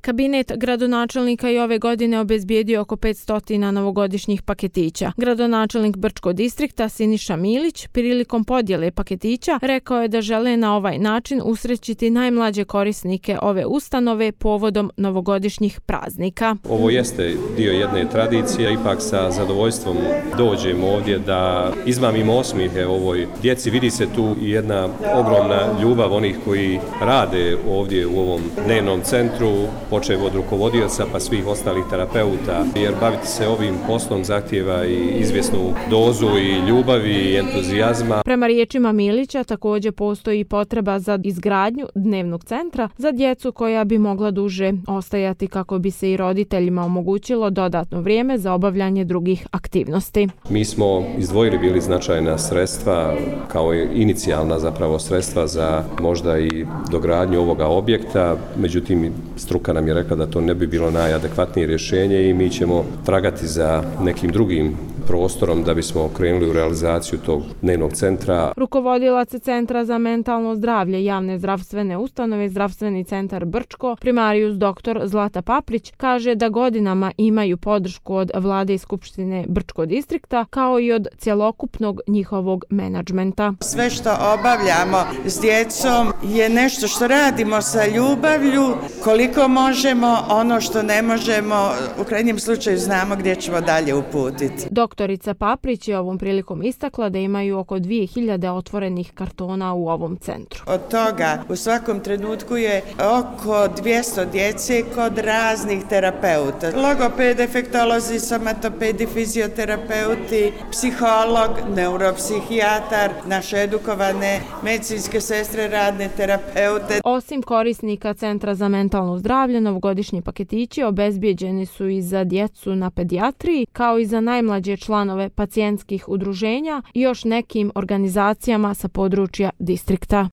Kabinet gradonačelnika i ove godine obezbijedio oko 500 novogodišnjih paketića. Gradonačelnik Brčkog distrikta Siniša Milić prilikom podjele paketića rekao je da žele na ovaj način usrećiti najmlađe korisnike ove ustanove povodom novogodišnjih praznika. Ovo jeste dio jedne tradicije, ipak sa zadovoljstvom dođemo ovdje da izmamimo osmijehe ovoj djeci. Vidi se tu i jedna ogromna ljubav onih koji rade ovdje u ovom dnevnom centru, počev od rukovodioca pa svih ostalih terapeuta, jer baviti se ovim poslom zahtijeva i izvjesnu dozu i ljubavi i entuzijazma. Prema riječima Milića također postoji potreba za izgradnju dnevnog centra za djecu koja bi mogla duže ostajati kako bi se i roditeljima omogućilo dodatno vrijeme za obavljanje drugih aktivnosti. Mi smo izdvojili bili značajna sredstva kao inicijalna zapravo sredstva za možda i dogradnju ovoga objekta, međutim struka nam je rekla da to ne bi bilo najadekvatnije rješenje i mi ćemo tragati za nekim drugim prostorom da bismo krenuli u realizaciju tog dnevnog centra. Rukovodilac Centra za mentalno zdravlje javne zdravstvene ustanove Zdravstveni centar Brčko, primarijus dr. Zlata Paprić, kaže da godinama imaju podršku od Vlade i Skupštine Brčkog distrikta kao i od cjelokupnog njihovog menadžmenta. Sve što obavljamo s djecom je nešto što radimo sa ljubavlju, koliko možemo, ono što ne možemo, u krajnjem slučaju znamo gdje ćemo dalje uputiti. Doktorica Paprić je ovom prilikom istakla da imaju oko 2000 otvorenih kartona u ovom centru. Od toga u svakom trenutku je oko 200 djece kod raznih terapeuta. Logoped, efektolozi, somatopedi, fizioterapeuti, psiholog, neuropsihijatar, naše edukovane medicinske sestre, radne terapeute. Osim korisnika Centra za mentalno zdravlje, novogodišnji paketići obezbijeđeni su i za djecu na pedijatriji, kao i za najmlađe članove pacijentskih udruženja i još nekim organizacijama sa područja distrikta.